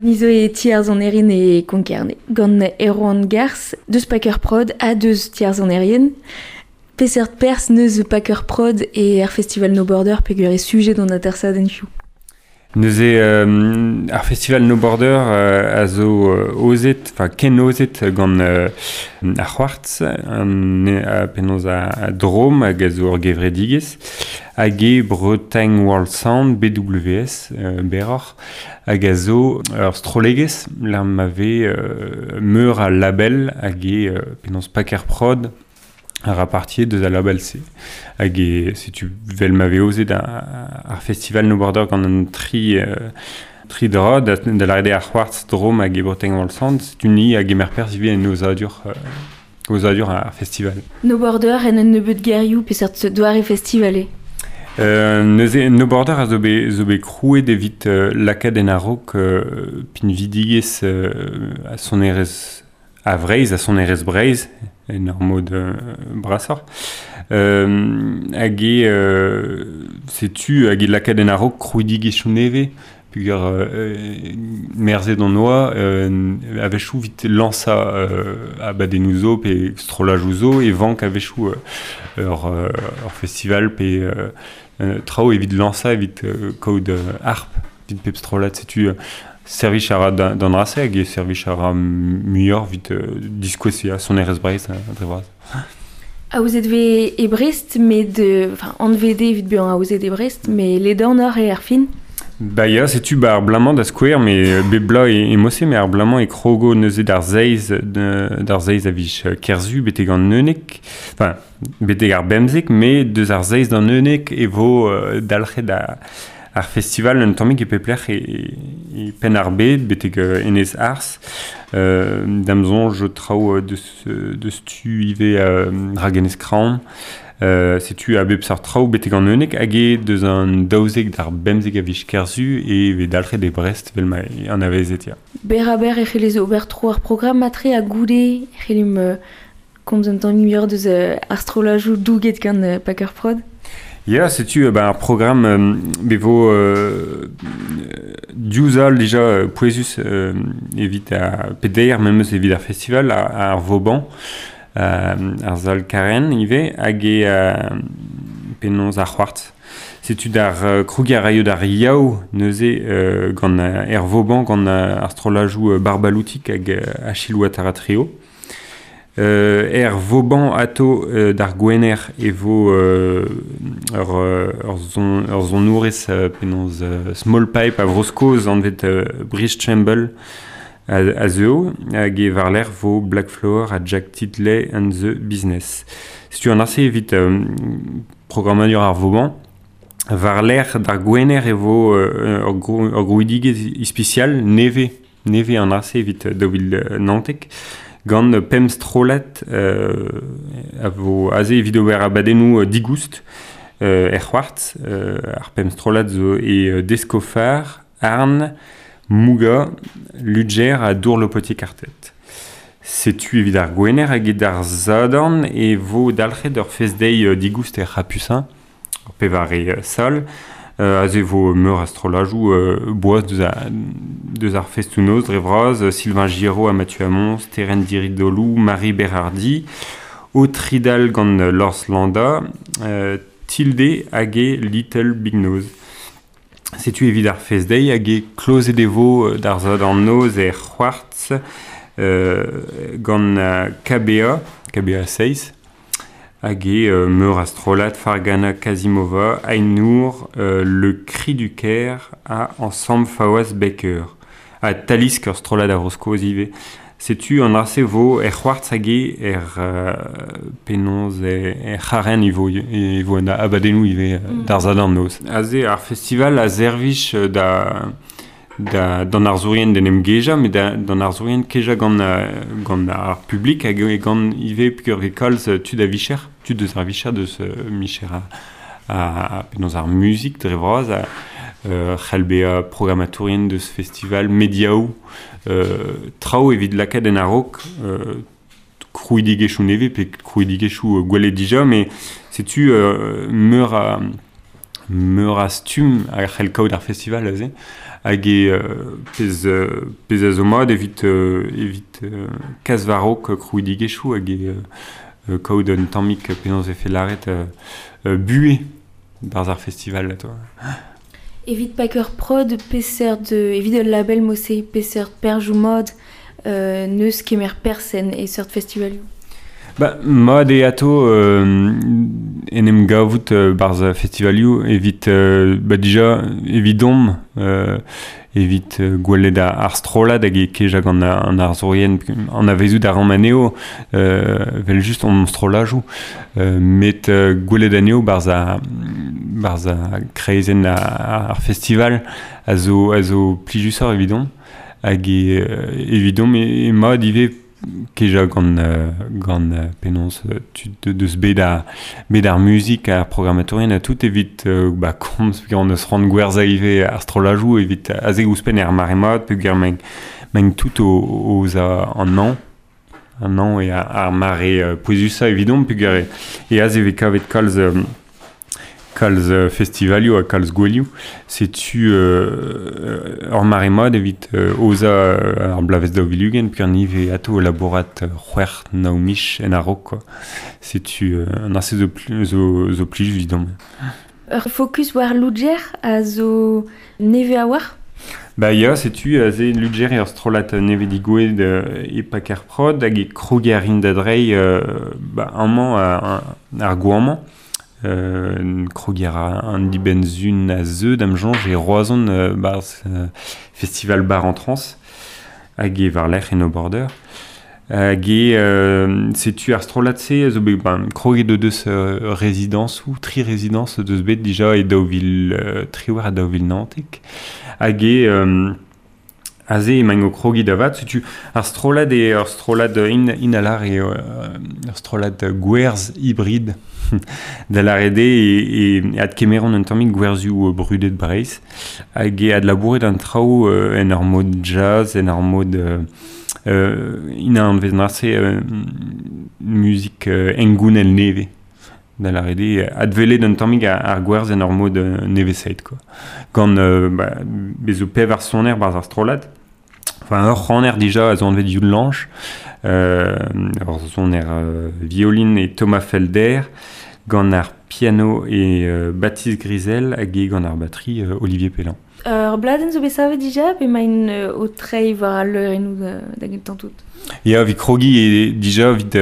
Ni zo e ti ar sonerien e Konkerne, gant Erwan Gars, deus Packer Prod ha deus ti ar sonerien. Peseurt perzh neus Packer Prod e ar festival No Border peogwir e sujet d'an atersadenn hiziv. Neuze ar festival No Border a zo ozet, enfin ken ozet gant ar c'hoartz, penaos a drom hag a zo ur gevredigezh, hag eo Bretagne World Sound, BWS, berroc'h, hag a zo ur strollegezh lec'h ma vez meur a label hag eo penaos Packer Prod a ra partie deus al label-se. Hag eo setu vel ma vez aozet ar festival No Border gant an tri dra, da lâret eo ar c'hoarzh Drôme hag e Bretagne World Sound, setu ni a gemer perzh ivez en aozadur ar festival. No Border en un nebeud gerioù peseurt doare festival eo? Neuze No Border a zo bet, zo bet krouet evit lakaat en a-raok pinvidigezh ha sonerezh a Vreizh, ha sonerezh Breizh en ur mod brasoc'h. Hag eo setu hag e lakaat en a-raok krouidigezhioù nevez peogwir merzet hon oa a-wechoù evit lañsañ abadennoù zo pe strollajoù zo e vank a-wechoù ur festival pe traoù evit lañsañ evit kaout harp evit pep strollad. Setu servij a ra d'an dra-se hag e servij a ra muioc'h evit diskouez sonerezh Breizh dre vras. Aozet vez e Brest, met enfin anvet eo evit bezañ aozet e Brest, met ledanoc'h eo ar fin. Ba ya, setu ba ar bloaz-mañ da skouer, met bep bloaz e mod-se, met ar bloaz-mañ e krogo neuze d'ar seizh d'ar seizh a viz Kerzu betek an unnek, enfin betek ar bemzek, met deus ar seizh d'an unnek e vo dalc'het ar festival un tammig e pep lec'h e Penn-ar-Bed betek Enez Arz. Da'm soñj traoù deus tu ivez Ragenez Kraon. Setu a bep seurt traoù betek an unnek hag eo deus an 12 d'ar 15 a viz Kerzu e vez dalc'het e Brest vel ma anavezet ya. Berr-ha-berr e c'hellez ober tro ar programm matre ha goude e c'hellimp komz un tamm muioc'h deus ar strollajoù douget gant Packer Prod. Ya, setu ben, ar programm bet vo diouzh all dija pouezus evit ar peder memes evit ar festival ar Vauban. Ar sal Karen ivez hag e penaos ar c'hoartz. Setu d'ar krougiñ a raio d'ar Yaou neuze gant er Vauban gant ar strollajoù Barbaloutik hag Achille Ouattara Trio. Er Vauban ato d'ar Gwener e vo ur sonourez penaos Small Pipe a Vro-Skos anvet Brice Chamble a zeuo hag e war-lerc'h vo Black Flower ha Jack Titley and the Business. Setu an aze evit programmadur ar Vauban. War-lerc'h d'ar Gwener e vo ur grouidigezh ispisial nevez, nevez an aze evit 2019 gant pemp strollad a vo aze evit ober abadennoù digoust er c'hoartz. Ar pemp strollad zo e Deskofar, Arn, Mouga, Ludger ha Dour-Lopotier Quartet. Setu evit ar Gwener hag evit ar Sadorn e vo dalc'het ur fest-deiz digoust er C'hapusin, ur pevare sal. Aze e vo meur a strollajoù boas deus ar festoù-noz dre vras, Sylvain Giraud ha Mathieu Hamon, Sterenn Diridolou, Marie Berardi, Autridal gant Lors Landa, Tilde hag e Little Big Nose. Setu evit ar fest-deiz hag eo klozet e vo d'ar Sadorn noz er c'hoartz gant KBA, KBA 6, hag eo meur a strollad Fargana Kazimova, Ainour, Le Cri du Caire ha Ensemble Fawaz Baker. Ha Talisk, ur strollad a Vro-Skos ivez. Setu an dra-se vo er c'hoartz hag eo er penaos er c'harrenn e vo e vo an abadennoù ivez d'ar Sadorn noz. Aze ar festival a servij da da d'an arzourien d'en em gejañ met da d'an arzourien kejañ gant gant ar publik hag gant ivez peogwir vez kalz tud a vicher, tud deus ar vicher deus micher a penaos ar muzik dre vras a c'hell bezañ programmatourien deus festival mediaoù traoù evit lakaat en a-raok krouidigezhioù nevez pe krouidigezhioù gwelet dija, met setu meur a meur a stumm a c'hell kaout ar festival aze hag e pezh a zo mat evit kas war-raok krouidigezhioù hag e kaout un tammig penaos e fe lâret buhez barzh ar festival atao. Evit Paker Prod, peseurt evit ul label mose, peseurt perzhioù mat neus kemer perzh e seurt festivalioù? Ba, mat eo atao en em gavout barzh festivalioù evit ba dija evidomp evit gwelet ar strollad hag e kejañ gant an arzourien anavezout a ran anezho evel just hon strollajoù met gwelet anezho barzh ar kreizenn ar festival a zo plijusoc'h evidomp hag evidomp eo mat ivez kejañ gant penaos tud deus bet ar muzik ar programmatourien ha tout evit ba komz peogwir hon eus c'hoant gwerzhañ ivez ar strollajoù evit aze ouzhpenn er mare mat peogwir maint tout o an hañv eo ar mare pouezusañ evidomp peogwir e aze e vez kavet kalz festivalioù ha kalz gouelioù. Setu ur mare mat evit aozañ ar bloavezh 2020 peogwir ni vez atao labourat c'hwec'h nav miz en a-raok quoi. Setu an aze zo plijus evidomp. Ur focus war Ludger a zo nevez a-walc'h? Ba ya, setu aze Ludger eo ur strollad nevez digouezhet e Paker Prod hag e kroger a rin da dreiñ ba amañ ar goañv-mañ. Kroger an dibenn-sun a zeu da'm soñj e Roazhon barzh festival Bar en Trans hag e war-lerc'h en No Border. Hag e setu ar strollad-se a zo bet kroget o deus rezidañsoù, tri rezidañs o deus bet dija e 2023 ha 2019. Hag e aze emaint o krogiñ da vat, setu ar strollad eo ur strollad inalar eo ur strollad gwerzh hybrid da lâret eo e adkemeront un tammig gwerzhioù brudet Breizh hag e adlabouret an traoù en ur mod jazz, en ur mod ina anvez marse muzik hengounel nevez. Da lâret eo adwelet un tammig ar gwerzh en ur mod nevesaet quoi. Gant ba, bez zo pevar soner barzh ar strollad. Enfin, ur c'haner dija a zo anvet Youn Lange, ur soner violin e Thomas Felder, gant ar piano e Baptiste Grisel hag e gant ar batterie Olivier Pellan. Ur bladenn zo bet savet dija pe emaint o treiñ war al leurennoù da gentañ tout? Ya, evit krogiñ e dija evit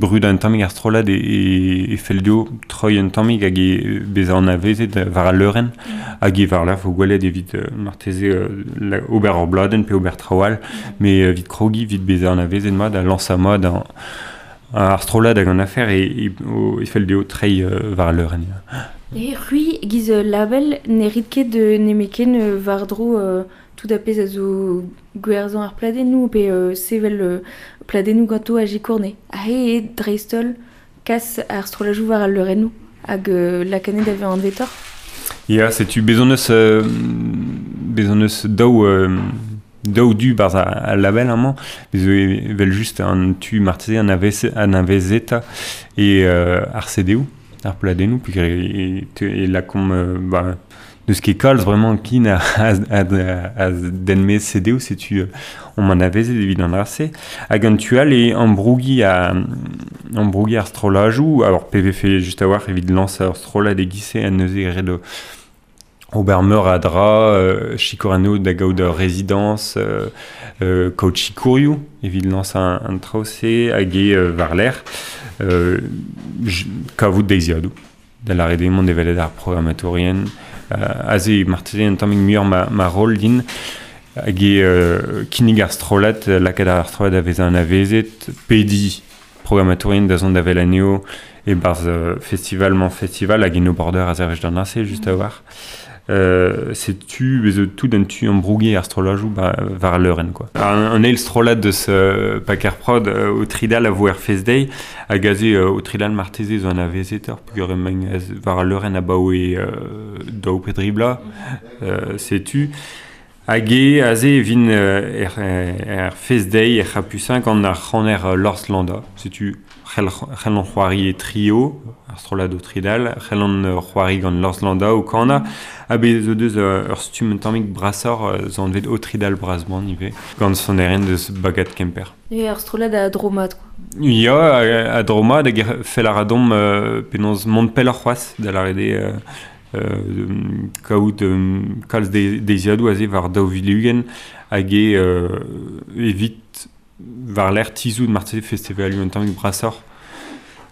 brudañ un tammig ar strollad e fell dezho troiñ un tammig hag e bezañ anavezet war al leurenn hag e war-lerc'h vo gwelet evit marteze ober ur bladenn pe ober traoù all met evit krogiñ evit bezañ anavezet mat ha lañsañ mat ar strollad hag an afer e fell dezho treiñ war al leurenn. E c'hwi giz label ne rit ket nemetken war-dro tout a pezh a zo gwerzhañ ar pladennoù pe sevel pladennoù ganto a jikourne. Aze eo dreist-holl kas ar strollajoù war al leurennoù hag lakanet da vezañ anvetoc'h? Ya, setu bez hon eus daou du barzh al label amañ, bez zo evel just an tu marteze anavezetañ e ar CD-où, ar pladennoù, peogwir e lakaomp ba, n'eus ket kalz bremañ kin a den-maez CD-où, setu omp anavezet evit an dra-se. Hag an tu all eo ambrougiñ ar strollajoù, alors pe vefe just a-walc'h evit lañsañ ur strollad e-giz-se ha neuze ret ober meur a dra, sikour anezho da gaout ur rezidañs, kaout sikourioù evit lañsañ an traoù-se hag eo war-lerc'h kavout deiziadoù. Da lâret eo mont evel ar programmatourien. Aze marteze un tammig muioc'h ma roll din hag eo kinnig ar strollad, lakaat ar strollad da vezañ anavezet, pediñ programmatourien da zont da wel anezho e-barzh festival-mañ-festival hag en No Border a servij d'an ase just a-walc'h. Setu bez zo tout un tu ambrougiñ ar strollajoù war al leurenn quoi. An eil strollad deus Paker Prod o tridal a vo er Fest Day hag aze o tridal marteze zo anavezetoc'h peogwir emaint war al leurenn abaoe daou pe dri bloaz. Setu Hag e aze e vin er fest-deiz er C'hapucin gant ar c'haner Lors Landa. Setu c'hell an c'hoari e trio, ar strollad o tridal, c'hell an c'hoari gant Lors Landa o kana, ha bez zo deus ur stumm un tammig brasoc'h zo anvet o tridal brasman ivez, gant sonerien deus Bagad Kemper. E ar strollad a dromat, quoi. Ya, a dromat hag fell a ra domp penaos mont pelloc'h c'hoazh da lâret eo kaout kalz deiziadoù aze war 2020 hag eo evit war-lerc'h tizhout marteze festivalioù un tammig brasoc'h,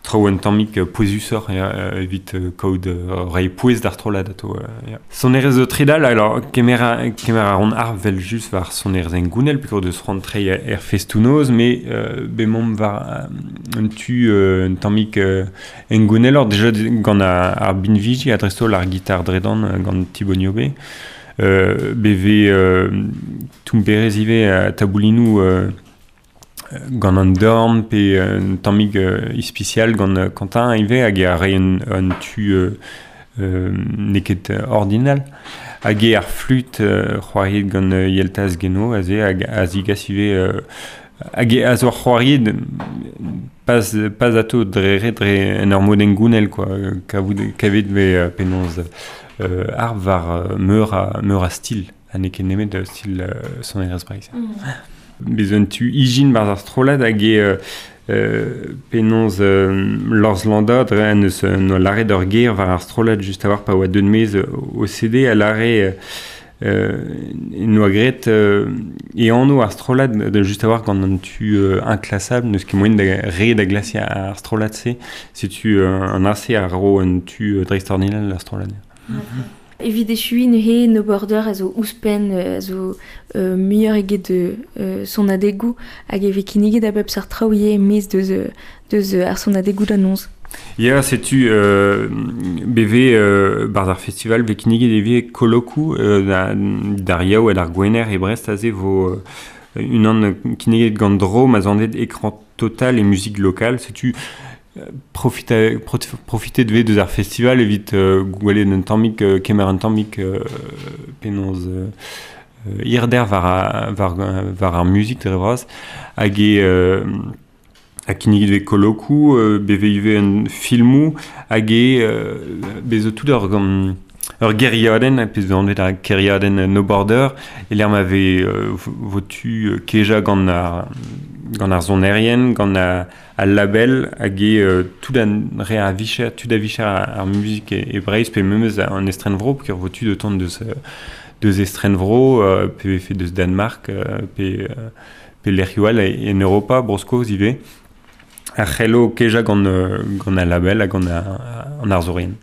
traoù un tammig pouezusoc'h ya, evit kaout reiñ pouez d'ar strollad atao. Ya. Sonerezh zo tridal, alors kemer a ran ar vel just war sonerezh hengounel peogwir deus c'hoant treiñ er festoù-noz, met bemomp war un tu un tammig hengouneloc'h déjà gant ar binviji ha dreist-holl ar gitar dredan gant Thibaut Niobe. BV toumperezh ivez taboulinoù gant an dorn pe un tammig ispisial gant Quentin ivez hag a reiñ un tu n'eo ket ordinal. Hag eo ar flut c'hoariet gant Yeltaz Geno aze hag a zigas ivez hag a zo c'hoariet pas atao dre ret dre en ur mod hengounel quoi. Kavet vez penaos ar war meur a stil ha n'eo ket nemet stil sonerezh Breizh. Bez un tu ijin barzh ar strollad hag eo penaos Lors Landa dre en eus no lâret ur ger war ar strollad just a-walc'h pa oa deuet maez o CD a lâre noa graet e anv ar strollad just a-walc'h gant an tu inclassable n'eus ket moaien da re da glasiñ ar strollad-se setu an aze a ro un tu dreistordinal d'ar strollad. Evit echuiñ neuze No Border a zo ouzhpenn a zo muioc'h eget sonadegoù hag e vez kinniget a bep seurt traoù ivez e-maez deus ar sonadegoù da noz. Ya, setu BV barzh ar festival vez kinniget ivez kolokoù d'ar Yaou ha d'ar Gwener e Brest aze vo unan kinniget gant Dro ma zo anvet écran total et musique locale. Setu profitet vez deus ar festival evit gwelet un tammig kemer un tammig penaos hirder war ar muzik dre vras hag eo ha kinniget vez kolokoù bet vez ivez un filmoù hag eo bez zo tout ur gêriadenn pezh zo anvet ar gêriadenn No Border e-lec'h ma vez vo tu kejañ gant ar sonerien, gant al label hag eo tout an re a vicher, tud a vicher ar muzik e Breizh pe memes an estrenvro peogwir vo tu de tont deus estrenvro pe vefe deus Danmark pe lec'hioù all en Europa, Bro-Skos ivez. Ar c'hello kejañ gant al label hag gant an arzourien.